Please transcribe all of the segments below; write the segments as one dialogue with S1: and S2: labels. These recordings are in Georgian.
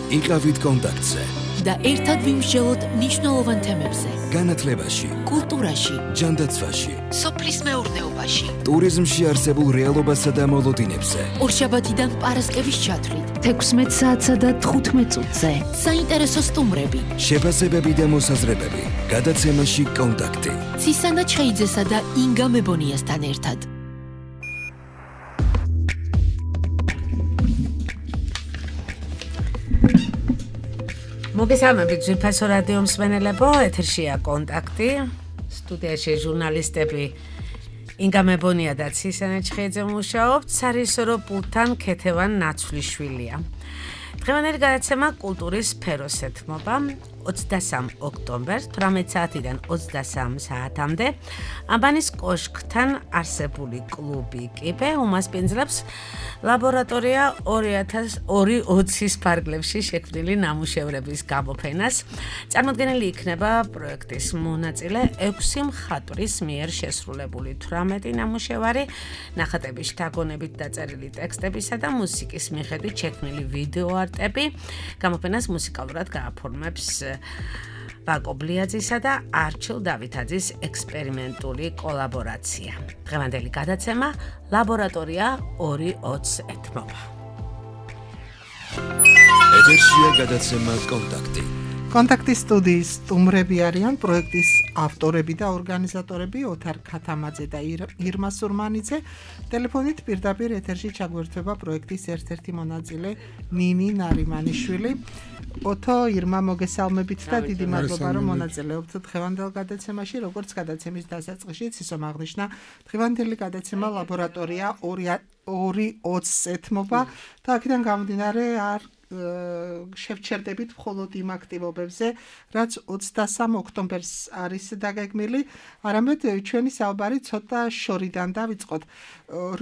S1: იყავით კონტაქტზე
S2: და ერთად ვიმსჯელოთ მნიშვნელოვან თემებზე.
S1: განათლებაში,
S2: კულტურაში,
S1: ჯანდაცვაში,
S2: სოფლის მეურნეობაში,
S1: ტურიზმში არსებულ რეალობასა და მოლოდინებზე.
S2: ორშაბათიდან პარასკევის ჩათვლით
S3: 16 საათსა და 15 წუთზე.
S2: საინტერესო სტუმრები,
S1: შეფასებები და მოსაზრებები. გადაცემაში კონტაქტი.
S2: ცისანა ჩხეიძესა და ინგა მებონიასთან ერთად.
S4: მოგესალმებით ძვირფასო რადიო მსმენელებო, ეთერშია კონტაქტი, სტუდიაში ჟურნალისტები ინგა მებონია და ცისანა ჩხეიძე მუშაობთ, სარისორო პულტთან ქეთევან ნაცვლიშვილია. დღევანდელი გადაცემა კულტურის სფეროს ეთმობა 23 ოქტომბერს 18 საათიდან 23 საათამდე აბანის კოშკთან არსებული კლუბი კიბე უმასპინძლებს ლაბორატორია 2020-ის ფარგლებში შექმნილი ნამუშევრების გამოფენას. წარმოდგენილი იქნება პროექტის მონაწილე 6 მხატვრის მიერ შესრულებული 18 ნამუშევარი, ნახატების შთაგონებით დაწერილი ტექსტებისა და მუსიკის მიხედვით შექმნილი ვიდეო არტები. გამოფენას მუსიკალურად გააფორმებს ვაკო ბლიაძისა და არჩილ დავითაძის ექსპერიმენტული კოლაბორაცია. დღევანდელი გადაცემა ლაბორატორია 2020 ეთმობა.
S1: ეთერშია გადაცემა კონტაქტი.
S5: კონტაქტის სტუდიის სტუმრები არიან პროექტის ავტორები და ორგანიზატორები ოთარ ქათამაძე და ირმა სურმანიძე. ტელეფონით პირდაპირ ეთერში ჩაგვერთვება პროექტის ერთ-ერთი მონაწილე ნინი ნარიმანიშვილი. ოთო, ირმა, მოგესალმებით და დიდი მადლობა რომ მონაწილეობთ დღევანდელ გადაცემაში. როგორც გადაცემის დასაწყისში ცისომ აღნიშნა, დღევანდელი გადაცემა ლაბორატორია 2020 ეთმობა და აქედან გამომდინარე არ შევჩერდებით მხოლოდ იმ აქტივობებზე, რაც 23 ოქტომბერს არის დაგეგმილი, არამედ ჩვენი საუბარი ცოტა შორიდან დავიწყოთ.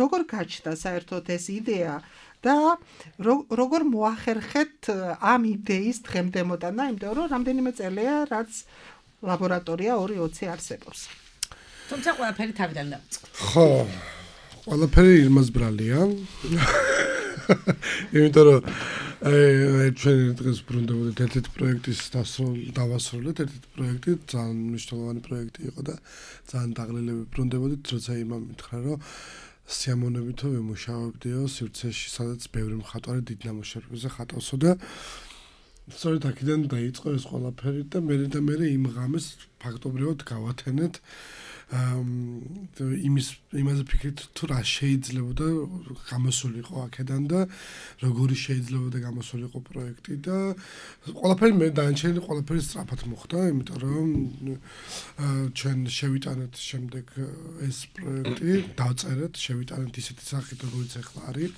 S5: როგორ გაჩნდა საერთოდ ეს იდეა და როგორ მოახერხეთ ამ იდეის დღემდემოდან, იმიტომ რომ რამდენიმე წელია, რაც ლაბორატორია 2020 არსებობს.
S4: თუმცა ყველაფერი თავიდან დავიწყოთ.
S6: ხო, ყველაფერი ირმას ბრალია. იმიტომ რომ ჩვენ დღეს ბრუნდებოდით ერთ-ერთი პროექტის დავასრულეთ, ერთ-ერთი პროექტი, ძალიან მნიშვნელოვანი პროექტი იყო და ძალიან დაღლილები ბრუნდებოდით, როცა ირმა მითხრა, რომ სიამოვნებითო ვიმუშავებდიო სივრცეში, სადაც ბევრი მხატვარი დიდ ნამუშევრებზე ხატავსო და სწორედ აქედან დაიწყო ეს ყველაფერი და მე იმ ღამეს ფაქტობრივად გავათენეთ იმაზე ფიქრით თუ რა შეიძლებოდა გამოსულიყო აქედან და როგორი შეიძლებოდა გამოსულიყო პროექტი და ყველაფერი მე დაანჩენილი ყველაფერი სწრაფად მოხდა, იმიტომ რომ ჩვენ შევიტანეთ შემდეგ ეს პროექტი, დავწერეთ, შევიტანეთ ისეთი სახით, როგორც ახლა არის.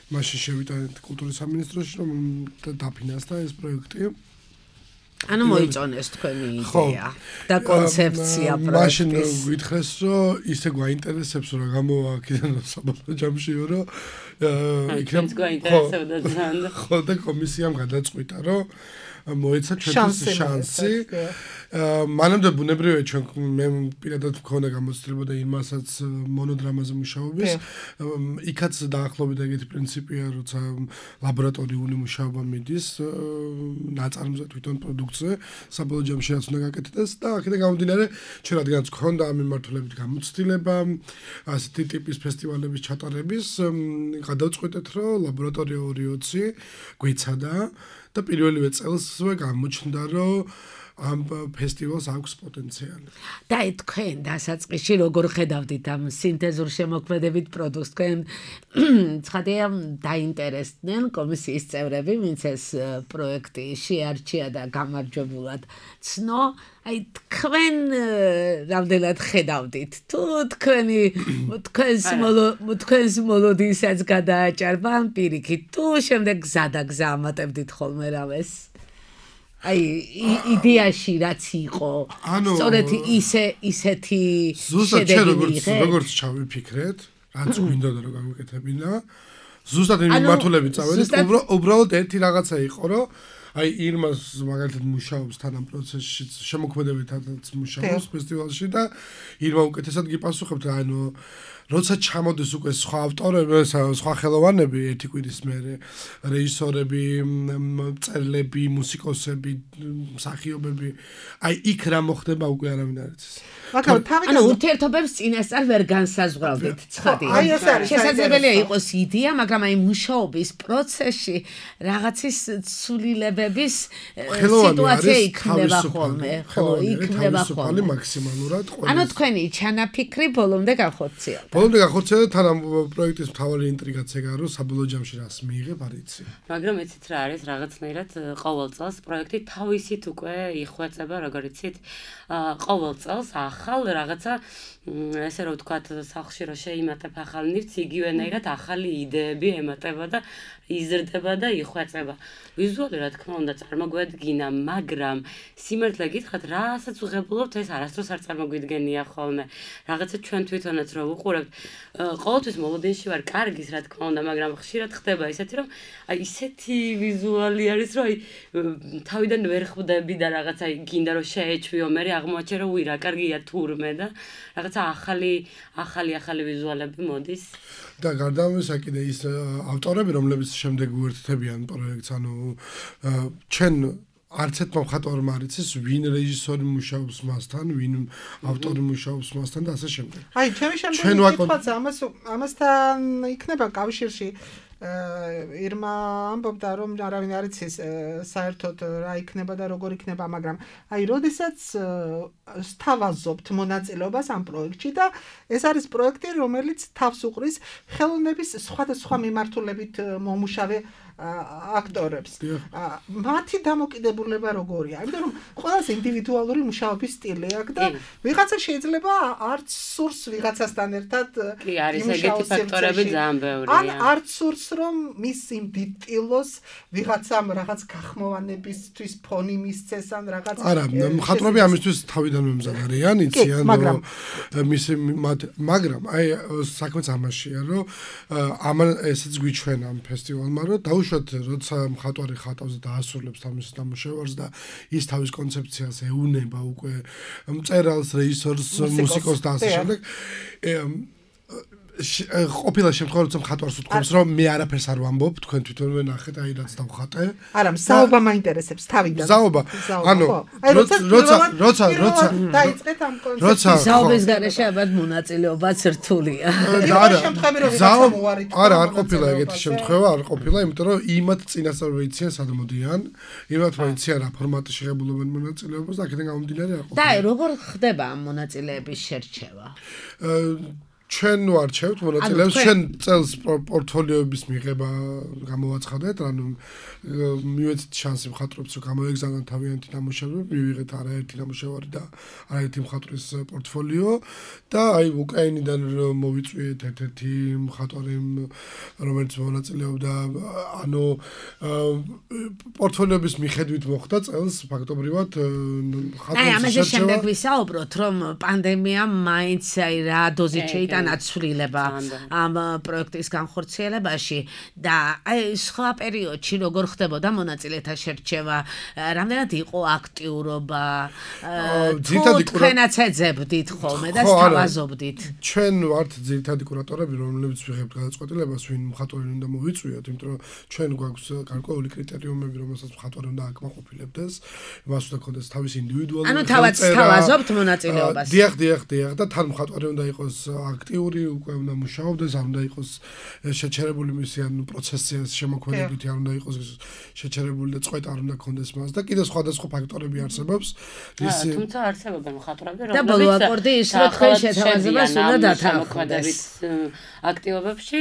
S6: მაშინ შევიტანეთ კულტურის სამინისტროში, რომ დაფინანსდა ეს პროექტი.
S4: ანუ მოიწონეს თქვენი იდეა და კონცეფცია პროექტის.
S6: მაშინ გითხრეს, რომ ისე გვაინტერესებს, რომ გამოვა აქედან საბოლოო ჯამშიო, რომ იქნებ
S4: გვაინტერესებდა ძალიან.
S6: ხო და კომისიამ გადაწყვიტა, რომ მოეცა ჩვენთვის შანსი. მანამდე ბუნებრივია ჩვენ მე პირადად მქონდა გამოცდილება და იმასაც მონოდრამაზე მუშაობის. იქაც დაახლოებით ეგეთი პრინციპია, როცა ლაბორატორიული მუშაობა მიდის ნაწარმზე თვითონ პროდუქციაზე, საბოლოო ჯამში რაც უნდა გაკეთდეს და აქედან გამომდინარე ჩვენ რადგანაც მქონდა ამ მიმართულებით გამოცდილება, ასეთი ტიპის ფესტივალების ჩატარების, გადავწყვიტეთ, რომ ლაბორატორია 2020 გვეცადა და პირველივე წელსვე გამოჩნდა, რომ ამ ფესტივალს აქვს პოტენციალი.
S4: და თქვენ დასაწყისში როგორ ხედავდით ამ სინთეზურ შემოქმედებით პროდუქტს? თქვენ ცხადია დაინტერესდნენ კომისიის წევრები, ვინც ეს პროექტი შეარჩია და გამარჯვებულად ცნო. აი თქვენ რამდენად ხედავდით? თუ თქვენს მოლოდინსაც გადააჭარბა ამ პირიქით, თუ შემდეგ გზადაგზა ამატებდით ხოლმე რამეს? აი იდეაში რაც იყო, სწორედ ისეთი შედეგი
S6: როგორც ჩავიფიქრეთ, რაც გვინდოდა რომ გამიკეთებინა, ზუსტად იმ მიმართულებით წავედით, უბრალოდ ერთი რაღაცა იყო, რომ აი ირმას მაგალითად მუშაობს თან ამ პროცესში, შემოქმედებითაც მუშაობს ფესტივალში და ირმა უკეთესად გიპასუხებთ, ანუ როცა ჩამოდის უკვე სხვა ავტორები, სხვა ხელოვანები ერთი კვირის მერე, რეჟისორები, მწერლები, მუსიკოსები, მსახიობები, აი იქ რა მოხდება უკვე არავინ არ იცის.
S5: მაგრამ
S4: ანუ ურთიერთობებს წინასწარ ვერ განსაზღვრავდით, ცხადია.
S5: აი ეს არის
S4: შესაძლებელია იყოს იდეა, მაგრამ აი მუშაობის პროცესში რაღაცის ცვლილებების სიტუაცია იქნება ხოლმე, ხო, იქნება ხოლმე.
S6: მაქსიმალურად ყველა.
S4: ანუ თქვენი ჩანაფიქრი ბოლომდე განხორციელდა.
S6: ბოლომდე განხორციელდა, თან ამ პროექტის მთავარი ინტრიგაც ეგაა, რომ საბოლოო ჯამში რას მიიღებ, არ იცი.
S7: მაგრამ იცით რა არის, რაღაცნაირად ყოველ წელს პროექტი თავისით უკვე იხვეწება, როგორ იცით, ყოველ წელს ახალ რაღაცა ესე რომ ვთქვათ, სახლში რომ შეიმატებ ახალ ნივთს, იგივენაირად ახალი იდეები ემატება და იზრდება და იხვეწება. ვიზუალი რა თქმა უნდა წარმოგვედგინა, მაგრამ სიმართლე გითხრათ, რასაც ვღებულობთ, ეს არასდროს არ წარმოგვიდგენია ხოლმე. რაღაცა ჩვენ თვითონაც რო ვუყურებთ, ყოველთვის მოლოდინში ვარ კარგის რა თქმა უნდა, მაგრამ ხშირად ხდება ისეთი, რომ აი ისეთი ვიზუალი არის, რომ აი თავიდან ვერ ხვდები და რაღაცა გინდა რომ შეეჩვიო, მე აღმოაჩენ რომ უი რა კარგია თურმე და რაღაცა ახალი ვიზუალები მოდის.
S6: და გარდა ამისა კიდე ის ავტორები, რომლებიც შემდეგ უერთდებიან პროექტს, ანუ ჩვენ არც ერთმა მხატვარმა არ იცის, ვინ რეჟისორი მუშაობს მასთან, ვინ ავტორი მუშაობს მასთან და ასე შემდეგ.
S5: აი, ჩემი შემდეგი კითხვაც ამასთან იქნება კავშირში. ირმა ამბობდა რომ არავინ არ იცის საერთოდ რა იქნება და როგორ იქნება, მაგრამ აი როდესაც სთავაზობთ მონაწილეობას ამ პროექტში და ეს არის პროექტი, რომელიც თავს უყრის ხელოვნების სხვადასხვა მიმართულებით მომუშავე აქტორებს. მათი დამოკიდებულება როგორია? იმიტომ რომ ყველას ინდივიდუალური მუშაობის სტილი აქვს და ვიღაცა შეიძლება არც სურს ვიღაცასთან ერთად
S7: კი არის ეგეთი ფაქტორები ძალიან ბევრია.
S5: ან არც სურს რომ მის იმ დიტილოს ვიღაცამ რაღაც გახმოვანებისთვის ფონი მისცეს ან რაღაც
S6: არა, მხატვრები ამისთვის თავიდანვე მზად არიან, იციან რომ მაგრამ აი საქმეც ამაშია, რომ ამან ესეც გვიჩვენა ამ ფესტივალმა, რომ დაუშვათ, როცა მხატვარი ხატავს და დაასრულებს თავის ნამუშევარს და ის თავის კონცეფციას ეუნება უკვე მწერალს, რეჟისორს, მუსიკოსს და ასე შემდეგ. ყოფილა შემთხვევა, როცა მხატვარს უთქვამს, რომ მე არაფერს არ ვამბობ, თქვენ თვითონვე ნახეთ, აი რაც დავხატე.
S5: არა, მზაობა მაინტერესებს თავიდან.
S6: მზაობა. ანუ როცა
S5: დაიწყეთ ამ კონცეფცია.
S4: მზაობის გარეშე ალბათ მონაწილეობაც რთულია.
S5: არა, შემთხვევები რომ ვიღაცა მოარი.
S6: არა, არ ყოფილა ეგეთი შემთხვევა, არ ყოფილა, იმიტომ რომ იმათ წინასწარ ვეიციან სად მოდიან, იმათ ვეიციან რა ფორმატში შეღებულობენ მონაწილეობას და აქედან გამომდინარე არ ყოფილა.
S4: და როგორ ხდება ამ მონაწილეების შერჩევა?
S6: ჩვენ ვარჩევთ მონაწილეებს, ჩვენ წელს პორტფოლიოების მიღება გამოვაცხადეთ, ანუ მივეცით შანსი მხატვრებს, რომ გამოეგზავნონ თავიანთი ნამუშევრები, მივიღეთ არაერთი ნამუშევარი და არაერთი მხატვრის პორტფოლიო და აი უკრაინიდან მოვიწვიეთ ერთ-ერთი მხატვარი, რომელიც მონაწილეობდა, ანუ პორტფოლიოების მიხედვით მოხდა წელს ფაქტობრივად
S4: ხატვის აი ამაზე შემდეგ ვისაუბროთ, რომ პანდემიამ მაინც აი რა დოზით შეიტანა ცვლილება ამ პროექტის განხორციელებაში და აი სხვა პერიოდში როგორ ხდებოდა მონაწილეთა შერჩევა, რამდენად იყო აქტიურობა, თქვენაც ეძებდით ხოლმე და სთავაზობდით.
S6: ჩვენ ვართ ძირითადი კურატორები, რომლებიც ვიღებთ გადაწყვეტილებას, ვინ მხატვარი უნდა მოვიწვიოთ, იმიტომ რომ ჩვენ გვაქვს გარკვეული კრიტერიუმები, რომელსაც მხატვარი უნდა აკმაყოფილებდეს, მას უნდა ქონდეს თავის ინდივიდუალური
S4: ანუ თავად სთავაზობთ მონაწილეობას.
S6: დიახ და თან მხატვარი უნდა იყოს აქტიური, უკვე უნდა მუშაობდეს, არ უნდა იყოს შეჩერებული მისი ანუ პროცესის შემოქმედებითი, არ უნდა იყოს შეჩერებული და წვეტა არ უნდა ქონდეს მას და კიდე სხვადასხვა ფაქტორები არსებობს.
S7: თუმცა არსებობენ მხატვრები,
S4: რომლებიც და ბოლო აკორდი ის რომ თქვენ შეთავაზებას უნდა დათანხმდეს.
S7: აქტივობებში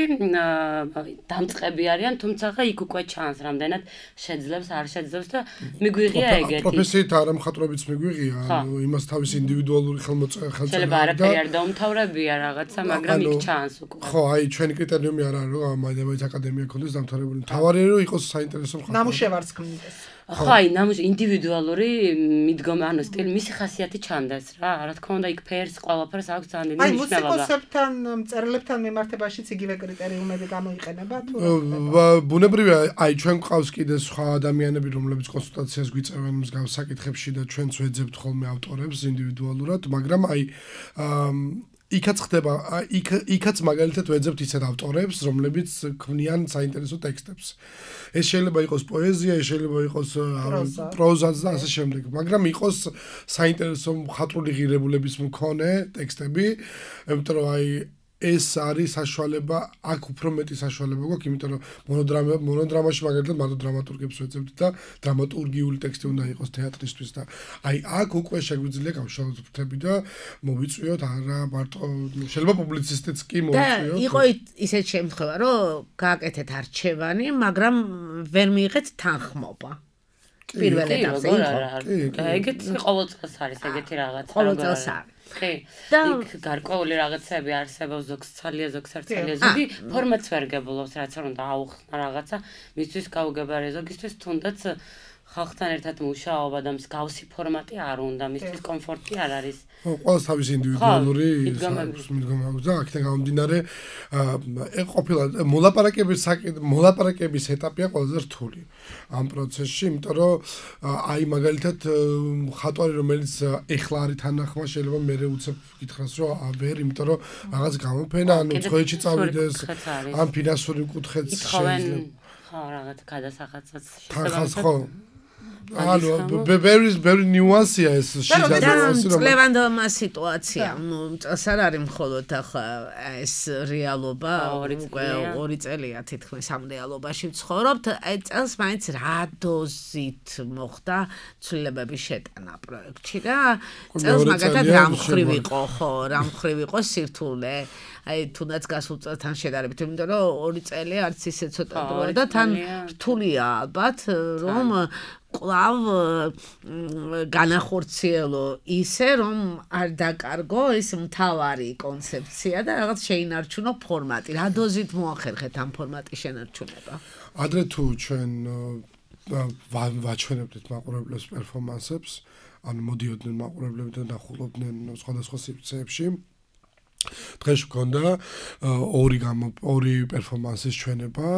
S7: დამწყები არიან, თუმცა იქ უკვე ჩანს, რამდენად შეძლებს, არ შეძლებს და მიგვიღია ეგეთი.
S6: პროფესიით არა მხატვრებიც მიგვიღია, ანუ იმას თავის ინდივიდუალური ხელმოწერა
S7: შეიძლება არაფერი არ დაუმთავრებია რაღაცა, მაგრამ იქ ჩანს უკვე.
S6: ხო, აი ჩვენი კრიტერიუმი არა რომ მაინც აკადემია ქონდეს დამთავრებული. თავარი რომ იყოს საინტერესო მხატვარი.
S5: ნამუშევარს ქმნიდეს.
S7: ხო, აი ინდივიდუალური მიდგომა, ანუ სტილი, მისი ხასიათი ჩანდეს რა. რა თქმა უნდა, იქ ფერს, ყველაფერს აქვს ძალიან დიდი მნიშვნელობა.
S5: აი მუსიკოსებთან, მწერლებთან მიმართებაშიც იგივე კრიტერიუმები გამოიყენება თუ?
S6: ბუნებრივია, აი ჩვენ გვყავს კიდე სხვა ადამიანები, რომლებიც კონსულტაციას გვიწევენ მსგავს საკითხებში და ჩვენც ვეძებთ ხოლმე ავტორებს ინდივიდუალურად, მაგრამ აი იქაც ხდება იქაც მაგალითად ვეძებთ ისეთ ავტორებს, რომლებიც ქმნიან საინტერესო ტექსტებს. ეს შეიძლება იყოს პოეზია, ეს შეიძლება იყოს პროზაც და ასე შემდეგ, მაგრამ იყოს საინტერესო მხატვრული ღირებულების მქონე ტექსტები, იმიტომ რომ აი ეს არის საშუალება, აქ უფრო მეტი საშუალება გვაქვს, იმიტომ რომ მონოდრამაში მაგალითად მარტო დრამატურგებს ვეძებთ და დრამატურგიული ტექსტი უნდა იყოს თეატრისთვის და აი აქ უკვე შეგვიძლია გავშალოთ ფრთები და მოვიწვიოთ არა მარტო შეიძლება პუბლიცისტიც კი მოვიწვიოთ.
S4: და იყო ისეთ შემთხვევა, რომ გააკეთეთ არჩევანი, მაგრამ ვერ მიიღეთ თანხმობა. პირველ ეტაპზე იყო.
S7: ეგეთ ყოველწელს არის ეგეთი რაღაცა.
S4: ყოველწელს არის.
S7: კი. და იქ გარკვეული რაღაცები არსებობს, ზოგს ცალია, ზოგს არ ცალია. ზოგი ფორმატს ვერ გებულობს, რაც არ უნდა აუხსნა რაღაცა, მისთვის გაუგებარი, ზოგისთვის თუნდაც ხალხთან ერთად მუშაობა და მსგავსი ფორმატი არ უნდა, მისთვის კომფორტი არ არის.
S6: ყველას თავის ინდივიდუალური მიდგომა და აქედან გამომდინარე ყოფილა მოლაპარაკების ეტაპია ყველაზე რთული ამ პროცესში, იმიტომ რომ აი მაგალითად ხატვარი რომელიც ეხლა არის თანახმა შეიძლება მერე უცებ გითხრას რომ ვერ, იმიტომ რომ რაღაც გამოფენა ანუ წვეჩი წავიდეს ამ ფინანსური კუთხეც
S7: შეიძლება ხო რაღაც გადასახადსაც
S6: შეიძლება ანუ very nuance-ია ეს შიდა ნიუანსი რომ
S4: წლევანდელმა სიტუაცია, ნუ წელს არ არის მხოლოდ ახლა ეს რეალობა, უკვე 2 წელია თითქმის ამ რეალობაში ვცხოვრობთ, აი წელს მაინც რა დოზით მოხდა ცვლილებების შეტანა პროექტში და წელს მაგათად რა მხრივ იყო, ხო, რა მხრივ იყო სირთულე აი თუნდაც გასულ წელთან შედარებით, იმიტომ რომ 2 წელი არც ისე ცოტა დროა და თან რთულია ალბათ რომ კვლავ განახორციელო ისე რომ არ დაკარგო ეს მთავარი კონცეფცია და რაღაც შეინარჩუნო ფორმატი. რა დოზით მოახერხეთ ამ ფორმატის შენარჩუნება?
S6: ადრე თუ ჩვენ ვაჩვენებდით მაყურებლებს პერფორმანსებს, ანუ მოდიოდნენ მაყურებლები და ნახულობდნენ სხვადასხვა სივრცეებში. დღეს გქონდა ორი პერფორმანსის ჩვენება,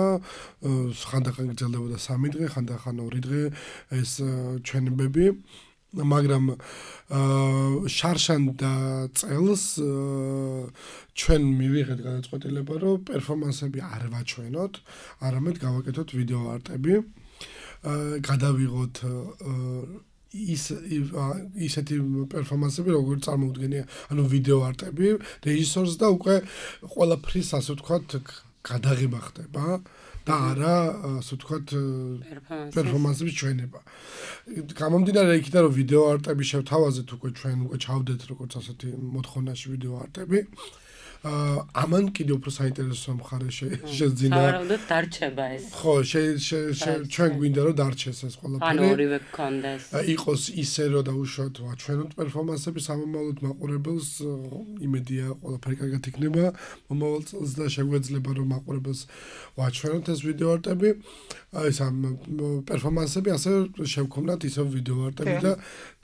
S6: ხანდახან გრძელდებოდა 3 დღე, ხანდახან 2 დღე ეს ჩვენებები, მაგრამ შარშან და წელს ჩვენ მივიღეთ გადაწყვეტილება, რომ პერფორმანსები არ ვაჩვენოთ, არამედ გავაკეთოთ ვიდეო არტები, გადავიღოთ ისეთი პერფორმანსები როგორც წარმოუდგენია, ანუ ვიდეო არტები, რეჟისორს და უკვე ყველაფრის ასე ვთქვათ გადაღება ხდება და არა ასე ვთქვათ პერფორმანსების ჩვენება. გამომდინარე იქიდან რომ ვიდეო არტები შევთავაზეთ უკვე ჩვენ უკვე ჩავდეთ როგორც ასეთი მოთხოვნაში ვიდეო არტები. ამან კიდევ უფრო საინტერესო მხარე შეძინა.
S7: სავარაუდოდ დარჩება ეს.
S6: ხო, ჩვენ გვინდა რომ დარჩეს ეს ყველაფერი.
S7: ანუ ორივე გქონდეს.
S6: იყოს ისე რომ დაუშვათ ვაჩვენოთ პერფორმანსები სამომავლოდ მაყურებელს, იმედია ყველაფერი კარგად იქნება მომავალ წელს და შეგვეძლება რომ მაყურებელს ვაჩვენოთ ეს ვიდეო არტები. ეს ამ პერფორმანსები ასე შევქონდათ ისევ ვიდეო არტები და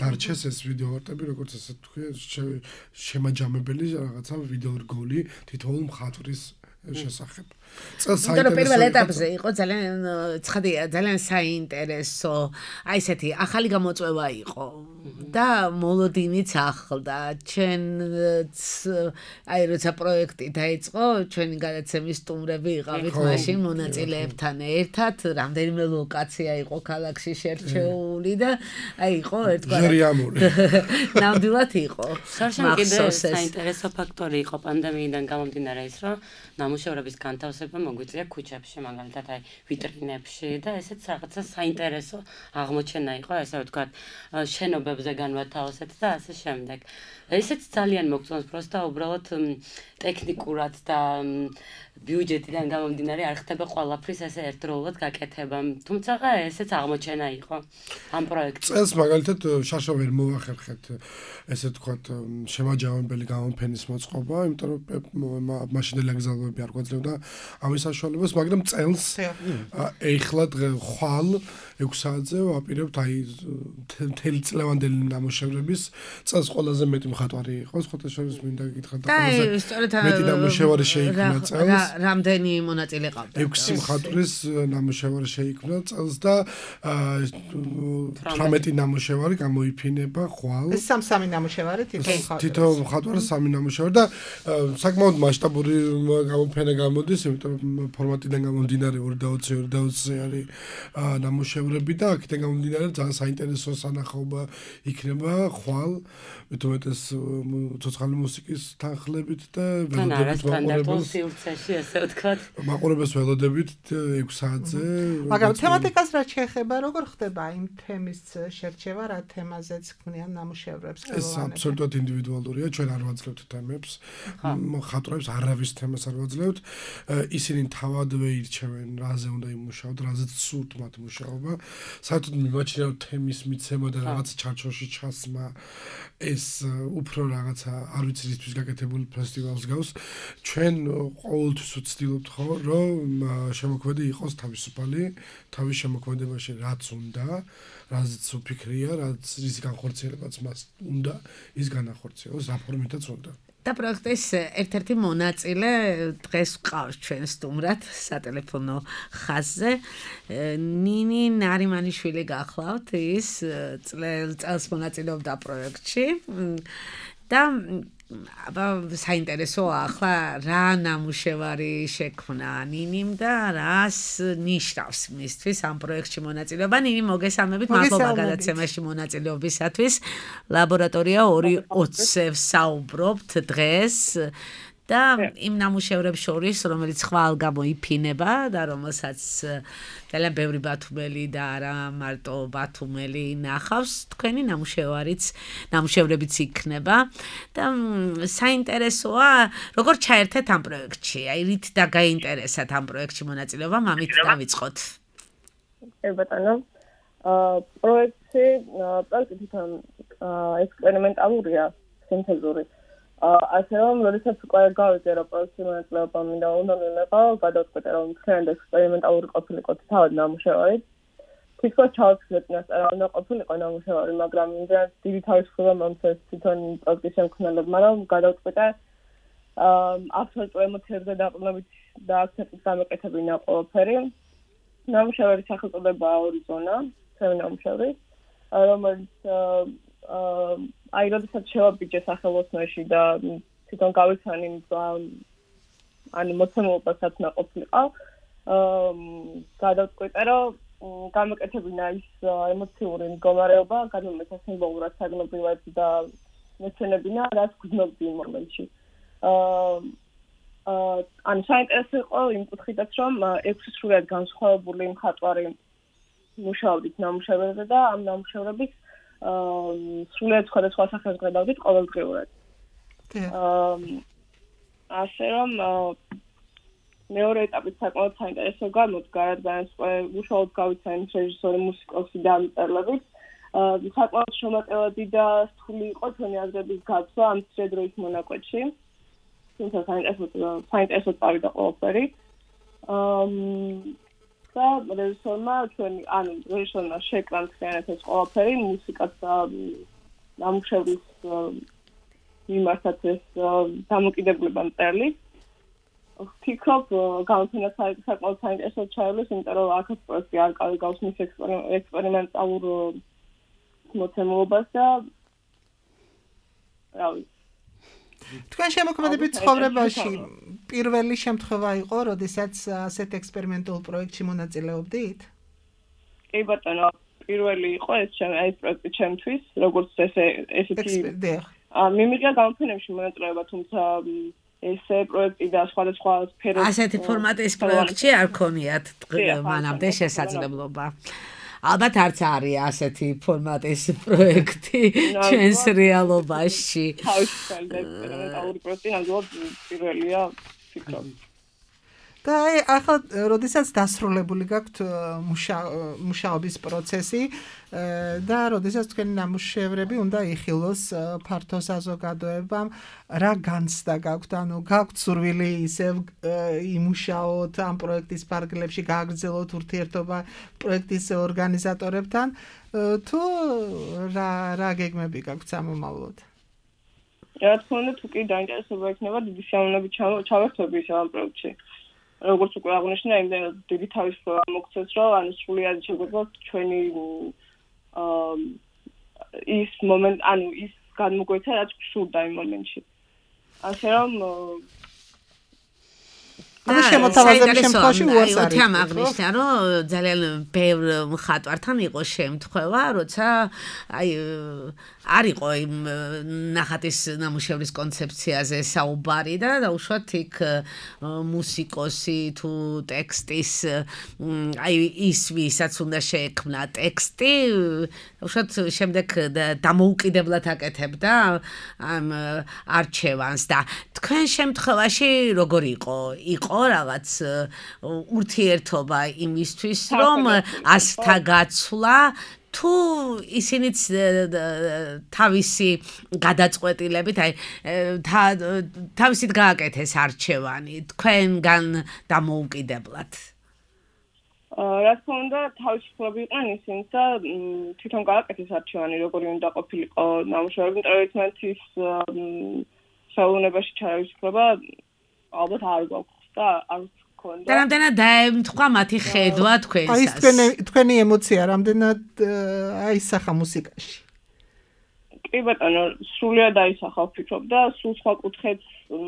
S6: დარჩეს ეს ვიდეო არტები როგორც ასე თქვი შემაჯამებელი რაღაცა ვიდეო რგოლი თითოეულ მხატვრის შესახებ.
S4: იმიტომ რომ პირველ ეტაპზე იყო ძალიან ცხადია, ძალიან საინტერესო, აი ესეთი ახალი გამოწვევა იყო და მოლოდინიც ახლდა. ჩვენც აი როცა პროექტი დაიწყო, ჩვენი გადაცემის სტუმრები იყავით მაშინ მონაწილეებთან ერთად, რამდენიმე ლოკაცია იყო ქალაქში შერჩეული და აი იყო ერთგვარად ნამდვილად იყო.
S7: საშენ კიდე საინტერესო ფაქტორი იყო პანდემიიდან გამომდინარე ის, რომ ნამუშევრების განთავსება მოგვიწია ქუჩებში, მაგალითად აი ვიტრინებში და ესეც რაღაცა საინტერესო აღმოჩენა იყო, ესე ვთქვათ, შენობებზე განვათავსეთ და ასე შემდეგ. ესეც ძალიან მოგწონს, პროსტა უბრალოდ ტექნიკურად და ბიუჯეტიდან გამომდინარე არ ხდება ყველაფრის ესე ერთდროულად გაკეთება. თუმცა ესეც აღმოჩენა იყო ამ პროექტში.
S6: წელს მაგალითად შარშა ვერ მოვახერხეთ ესე ვთქვათ შემაჯამებელი გამოფენის მოწყობა, იმიტომ რომ მაშინდელი აგზავნებები არ გვაძლევდა ამის საშუალებას, მაგრამ წელს ეხლა ხვალ 6 საათზე ვაპირებთ აი მთელი წლევანდელი ნამუშევრების წელს ყველაზე მეტი მხატვარი იყო სხვათა შორის მინდა გითხრათ და
S4: სწორედ
S6: მეტი ნამუშევარი შეიქმნა წელს
S4: რამდენი მონაწილე ყავდა
S6: 6 მხატვრის ნამუშევარი შეიქმნა წელს და 18 ნამუშევარი გამოიფინება ხვალ
S5: ეს სამი ნამუშევარი
S6: თითო მხატვარი 3 ნამუშევარი და საკმაოდ მასშტაბური გამოფენა გამოდის იმიტომ რომ ფორმატიდან გამომდინარე 220 არის ნამუშევრები და აქედან გამომდინარე ძალიან საინტერესო სანახაობა იქნება ხვალ მეტუმეტეს ცოცხალი მუსიკის თანხლებით და
S7: ველოდებით სივრცეში ასე ვთქვათ
S6: მაყურებელს ველოდებით 6 საათზე
S5: მაგრამ თემატიკას რაც შეეხება როგორ ხდება იმ თემის შერჩევა რა თემაზეც ქმნიან ნამუშევრებს
S6: ეს აბსოლუტურად ინდივიდუალურია ჩვენ არ ვაძლევთ თემებს მხატვრებს არავის თემას არ ვაძლევთ ისინი თავადვე ირჩევენ რაზე უნდა იმუშაოთ რაზეც სურთ მათ მუშაობა საერთოდ მიმაჩნია თემის მიცემა და რაღაც ჩარჩოში ჩასმა ეს უფრო რაღაცა არ ვიცი რისთვის გაკეთებული ფესტივალს გავს ჩვენ ყოველთვის ვცდილობთ ხო რომ შემოქმედი იყოს თავისუფალი თავის შემოქმედებაში რაც უნდა რაზეც უფიქრია რაც რის განხორციელებაც მას უნდა ის განახორციელოს რა ფორმითაც უნდა
S4: და პროექტის ერთ-ერთი მონაწილე დღეს ყავს ჩვენ სტუმრად სატელეფონო ხაზზე ნინი ნარიმანიშვილი გახლავთ ის წელს მონაწილეობდა პროექტში და აბა საინტერესოა ახლა რა ნამუშევარი შექმნა ნინიმ და რას ნიშნავს მისთვის ამ პროექტში მონაწილეობა ნინი მოგესალმებით მადლობა გადაცემაში მონაწილეობისათვის ლაბორატორია 2:20-ზე საუბრობთ დღეს და იმ ნამუშევრებს შორის რომელიც ხვალ გამოიფინება და რომელსაც ძალიან ბევრი ბათუმელი და არა მარტო ბათუმელი ნახავს თქვენი ნამუშევრებიც იქნება და საინტერესოა როგორ ჩაერთეთ ამ პროექტში აი რით და გაინტერესათ ამ პროექტში მონაწილეობა მამით დავიწყოთ
S8: ბატონო პროექტი თვითონ ექსპერიმენტალურია სინთეზური ასე რომ როდესაც უკვე გავიგე რომ პროექტში მონაწილეობა მინდა უნდა მივიღო გადავწყვეტე რომ თქვენ ექსპერიმენტალური ყოფილიყო თავად ნამუშევარი თვითონ ჩავთვლით რა უნდა ყოფილიყო ნამუშევარი მაგრამ იმდენად დიდი თავისუფლება მომწეს თვითონ პროექტის შემქმნელებმა რომ გადავწყვეტე აბსოლუტურ ემოციებზე დაყრდნობით და აქცენტის გამოკეთებინა ყველაფერი ნამუშევარის სახელწოდება ორიზონა ჩემი ნამუშევარი რომელიც აი როდესაც შევაბიჯე სახელოსნოში და თვითონ გავიცანი ანუ მოცემულობასაც ნაყოფილიყო გადავწყვეტე რომ გამოკეთებინა ის ემოციური მდგომარეობა გადმომეცა სიმბოლურად საგნობრივად და მეცნებინა რაც გრძნობდი იმ მომენტში ანუ საინტერესო იყო იმ კუთხითაც რომ 6 სრულად განსხვავებული მხატვარი მუშაობდით ნამუშევრებზე და ამ ნამუშევრების სრულად სხვადასხვა სახელს გადავდით ყოველდღიურად. ასე რომ მეორე ეტაპით საკმაოდ საინტერესო გამოდგა, რადგან უშუალოდ გავიცანი რეჟისორი, მუსიკოსი და ამწერლები. საკმაოდ შემატევადი და რთული იყო ჩვენი აზრების გაცვლა ამ დროის მონაკვეთში. თუმცა საინტერესო წავიდა ყველაფერი. და რეჟისორმა შეკრა მთლიანად ეს ყველაფერი მუსიკაც და ნამუშევრის მიმართაც ეს დამოკიდებულება მწერლის ვფიქრობ გამოფენა საკმაოდ საინტერესოდ ჩაივლის იმიტომ რომ აქაც პროექტი არ გავს მის ექსპერიმენტალურ მოცემულობას და რა ვიცი
S5: თქვენ შემოქმედებით ცხოვრებაში პირველი შემთხვევა იყო, როდესაც ასეთ ექსპერიმენტულ პროექტში მონაწილეობდით?
S8: კი ბატონო, პირველი იყო ეს პროექტი ჩემთვის, როგორც ესეთი მიმიღია გამოფენებში მონაწილეობა, თუმცა ესე პროექტი და სხვადასხვა სფეროებში
S4: ასეთი ფორმატის პროექტში არ ქონიათ მანამდე შესაძლებლობა. ალბათ არც არის ასეთი ფორმატის პროექტი ჩვენს რეალობაში.
S8: თავისუფალი და ექსპერიმენტალური პროექტი ნამდვილად პირველია, ვფიქრობ.
S5: და ახლა როდესაც დასრულებული გაქვთ მუშაობის პროცესი და როდესაც თქვენი ნამუშევრები უნდა იხილოს ფართო საზოგადოებამ, რა განცდა გაქვთ, ანუ გაქვთ სურვილი ისევ იმუშაოთ ამ პროექტის ფარგლებში, გააგრძელოთ ურთიერთობა პროექტის ორგანიზატორებთან, თუ რა გეგმები გაქვთ სამომავლოდ?
S8: რა თქმა უნდა, თუ კი დაინტერესება იქნება, დიდი სიამოვნებით ჩავერთვები ისევ ამ პროექტში. როგორც უკვე აღნიშნა, იმდენად დიდი თავისუფლება მოგცეს, რომ ანუ სრულად შეგვიძლია ჩვენი ის მომენტ, ანუ ის განმოგვეცა, რაც გსურდა იმ მომენტში. ასე რომ
S5: ანუ შემოთავაზების შემთხვევაში უარს არის.
S4: თემ აღნიშნა, რომ ძალიან ბევრ მხატვართან იყო შემთხვევა, როცა არ იყო იმ ნახატის ნამუშევრის კონცეფციაზე საუბარი და დაუშვათ იქ მუსიკოსი თუ ტექსტის ის ვისაც უნდა შეექმნა ტექსტი, დაუშვათ შემდეგ დამოუკიდებლად აკეთებდა ამ არჩევანს და თქვენ შემთხვევაში როგორ იყო რაღაც ურთიერთობა იმისთვის, რომ ასთა გაცვლა თუ ისინიც თავისი გადაწყვეტილებით, თავისით გააკეთეს არჩევანი თქვენგან დამოუკიდებლად.
S8: რა თქმა უნდა, თავისუფლები იყვნენ ისინიც და თვითონ გააკეთეს არჩევანი, როგორი უნდა ყოფილიყო ნამუშევრები, ტრადიციით საუბნებაში ჩაისხება ალბათ არ გვაქვს და არ გქონდა.
S4: და რამდენად დაემთხვა მათი ხედვა თქვენსას?
S5: თქვენი ემოცია რამდენად აისახა მუსიკაში?
S8: კი ბატონო, სრულიად აისახა ვფიქრობ და სულ სხვა კუთხეც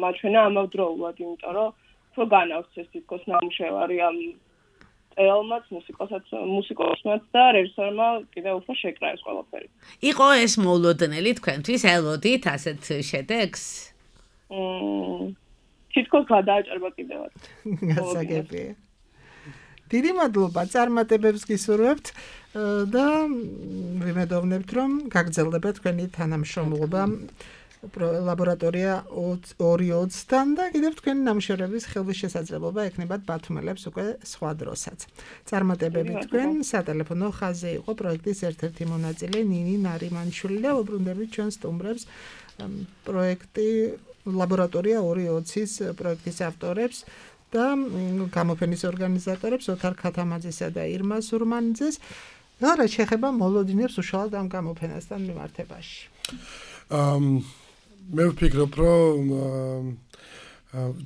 S8: მაჩვენა ამავდროულად, იმიტომ რომ უფრო განავრცეს თითქოს ნამუშევარი ამ ელმაც, მუსიკოსმაც და რეჟისორმა კიდევ უფრო შეკრა ეს ყველაფერი.
S4: იყო ეს მოულოდნელი თქვენთვის, ელოდით ასეთ შედეგს?
S8: თითქოს გადააჭარბა კიდევაც.
S5: გასაგებია. დიდი მადლობა, წარმატებებს გისურვებთ და ვიმედოვნებთ, რომ გაგრძელდება თქვენი თანამშრომლობა ლაბორატორია 220-თან და კიდევ თქვენი ნამუშევრების ხელმისჩესაძლებობა ექნებათ ბათუმელებს უკვე სხვა დროსაც. წარმატებები თქვენ, სატელეფონო ხაზზე იყო პროექტის ერთ-ერთი მონაწილე ნინი ნარიმანშვილი და უბრუნდებით ჩვენ სტუმრებს პროექტი ლაბორატორია 220-ის პროექტის ავტორებს და გამოფენის ორგანიზატორებს ოთარ ქათამაძესა და ირმა სურმანიძეს. რა შეეხება მოლოდინებს უშუალოდ ამ გამოფენასთან მიმართებაში?
S6: მე ვფიქრობ, რომ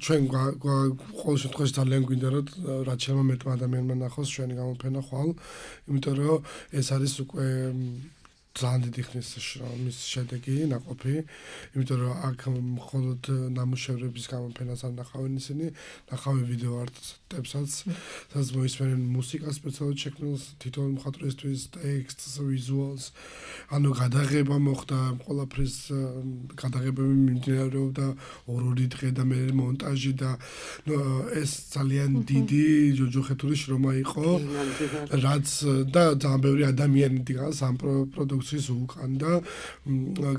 S6: ჩვენ ყოველ შემთხვევაში ძალიან გვინდა რომ რაც შეიძლება მეტმა ადამიანმა ნახოს ჩვენი გამოფენა ხვალ, იმიტომ რომ ეს არის უკვე ძალიან დიდი ხნის შრომის შედეგი, ნაყოფი, იმიტომ რომ აქ მხოლოდ ნამუშევრების გამოფენას არ ნახავენ ისინი, ნახავენ ვიდეო არტებსაც, სადაც მოისმენენ მუსიკას სპეციალურად შექმნილს თითოეულ მხატვრისთვის, ტექსტს, ვიზუალს, ანუ გადაღება მოხდა, ყველაფრის გადაღებები მიმდინარეობდა ორი დღე და მე მონტაჟი და ეს ძალიან დიდი ჯოჯოხეთური შრომა იყო, რაც და ძალიან ბევრი ადამიანი დგას ამ პროდუქციის უკან და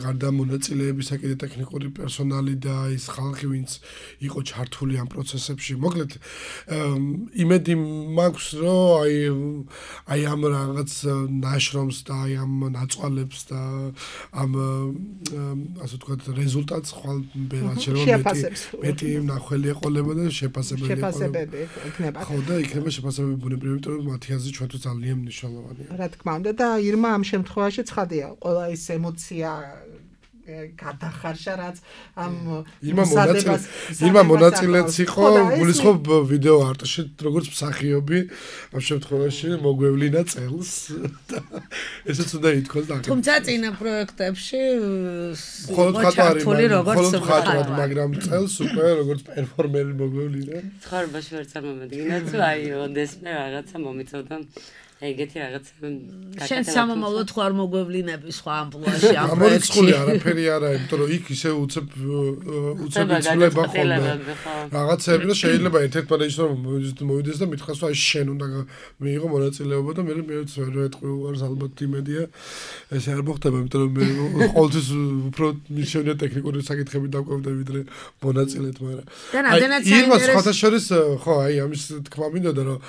S6: გარდა მონაწილეებისა კიდე ტექნიკური პერსონალი და ის ხალხი, ვინც იყო ჩართული ამ პროცესებში. მოკლედ, იმედი მაქვს, რომ აი ამ რაღაც ნაშრომს და აი ამ ნაწყვალებს და ამ ასე ვთქვათ რეზულტატს ხვალ ბერად შეიძლება მეტი ნახველი ეყოლება და შეფასებები
S5: იქნება.
S6: ხო და იქნება შეფასებები ბუნებრივი, იმიტომ რომ მათი აზრით ჩვენთვის ძალიან მნიშვნელოვანია.
S5: რა თქმა უნდა და ირმა ამ შემთხვევაში ცხადია, ყველა ის ემოცია გადახარშა, რაც ამ
S6: ირმა მონაწილეც იყო, გულისხმობ ვიდეო არტში, როგორც მსახიობი, ამ შემთხვევაში მოგვევლინა წელს და ესეც უნდა ითქვას და
S4: თუმცა წინა პროექტებში
S6: მხოლოდ
S4: ჩართული როგორც
S6: მხატვრად, მაგრამ წელს უკვე როგორც პერფორმერი მოგვევლინა.
S7: ცხოვრებაში ვერ წარმომედგინა, თუ აი ოდესმე რაღაცა მომიწოდა ეგეთი რაღაც
S4: შენ სამომავლოდ ხო არ მოგვევლინები სხვა ამპლუაში ამ პროექტში.
S6: გამორიცხული არაფერი არა, იმიტომ რომ იქ ისე უცებ იცვლება ხოლმე. რაღაცები და შეიძლება ერთ-ერთ რეჟისორმა მოვიდეს და მითხრას რომ აი შენ უნდა მიიღო მონაწილეობა და მე ვერ ვეტყვი უარს ალბათ იმედია ეს არ მოხდება, იმიტომ რომ მე ყოველთვის უფრო მიშენია ტექნიკური საკითხები დაკვევდა ვიდრე მონაწილედ, მაგრამ აი იმას სხვათა შორის ხო აი ამის თქმა მინდოდა რომ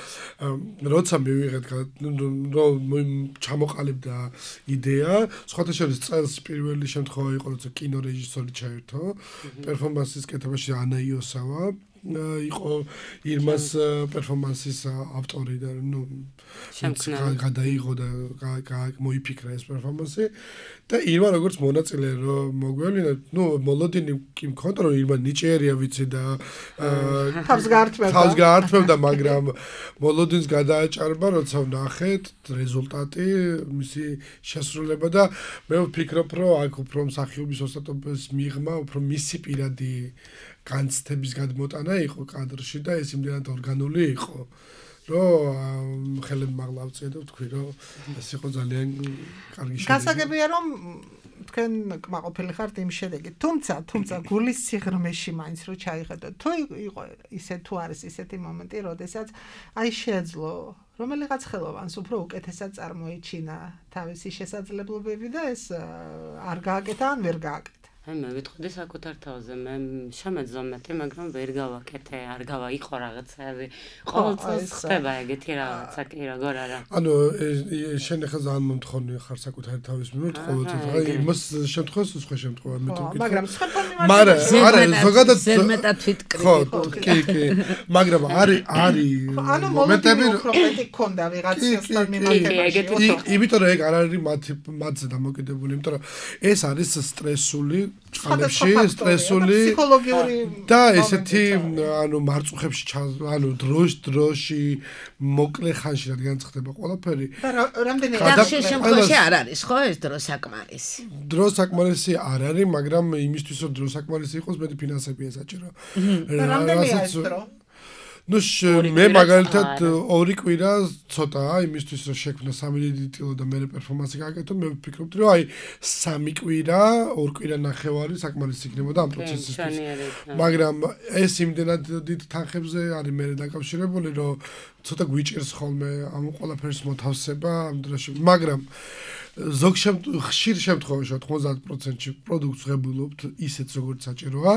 S6: როცა მივიღეთ რომ ჩამოყალიბდა იდეა, სხვათა შორის წელს პირველი შემთხვევა იყო, როცა კინორეჟისორი ჩაერთო, პერფორმანსის კეთებაში ანა იოსავა იყო ირმას პერფორმანსის ავტორი და გადაიღო და მოიფიქრა ეს პერფორმანსი და ირმა როგორც მონაწილე რომ მოგვევლინა, მოლოდინი კი მქონდა რომ ირმა ნიჭიერია ვიცი და
S5: თავს გაართმევდა, მაგრამ მოლოდინს გადააჭარბა, როცა ვნახეთ რეზულტატი, მისი შესრულება და მე ვფიქრობ რომ აქ უფრო მსახიობის ოსტატობის მიღმა, უფრო მისი პირადი განცდების გადმოტანა იყო კადრში და ეს იმდენად ორგანული იყო, რომ ხელები მაღლა ავწია და ვთქვი, რომ ეს იყო ძალიან კარგი შედეგი. გასაგებია რომ თქვენ კმაყოფილი ხართ იმ შედეგით. თუმცა გულის სიღრმეში მაინც რო ჩაიხედო, თუ იყო ისე თუ არის ისეთი მომენტი, როდესაც აი შეეძლო რომელიღაც ხელოვანს უფრო უკეთესად წარმოიჩინა თავისი შესაძლებლობები და ეს არ გააკეთა ან ვერ გააკეთა.
S7: აი მე ვიტყოდი საკუთარ თავზე, მე შემეძლო მეტი, მაგრამ ვერ გავაკეთე, არ გავაიყო რაღაცები. ყოველ წელს ხდება ეგეთი რაღაცა კი როგორ არა.
S6: ანუ შენ ახლა ძალიან მომთხოვნი ხარ საკუთარი თავის მიმართ, ყოველ წელს აი იმას შემთხვევას სხვა შემთხვევა მე თუ ვკითხო.
S5: მაგრამ სხვა მიმართ
S6: არა, ზოგადად
S4: ზედმეტად ვიტკრიტიკობ.
S6: კი, მაგრამ არის
S5: ანუ მომენტები უფრო მეტი გქონდა ვიღაცასთან მიმართებაში.
S6: იმიტომ რომ ეგ არ არის მათზე დამოკიდებული, იმიტომ რომ ეს არის სტრესული წყალებში, სტრესული
S5: ფსიქოლოგიური
S6: და ესეთი ანუ მარწუხებში ანუ დროში მოკლე ხანში რადგან ხდება ყველაფერი
S5: და რამდენი
S4: ხშირ შემთხვევაში არ არის ხო ეს დრო საკმარისი.
S6: დრო საკმარისი არ არის, მაგრამ იმისთვის რომ დრო საკმარისი იყოს, მეტი ფინანსებია საჭირო.
S5: რამდენია ეს დრო?
S6: მე მაგალითად 2 კვირა ცოტაა იმისთვის რომ შექმნა 3 ტილო და მე პერფორმანსი გააკეთო, მე ვფიქრობდი რომ აი 3 კვირა, 2 კვირა ნახევარი საკმარისი იქნებოდა ამ პროცესისთვის. მაგრამ ეს იმდენად დიდ თანხებზე არის მე დაკავშირებული, რომ ცოტა გვიჭირს ხოლმე ამ ყველაფერს მოთავსება ამ დროში, მაგრამ ხშირ შემთხვევაში 90%-ში პროდუქტს ღებულობთ ისეთ როგორც საჭიროა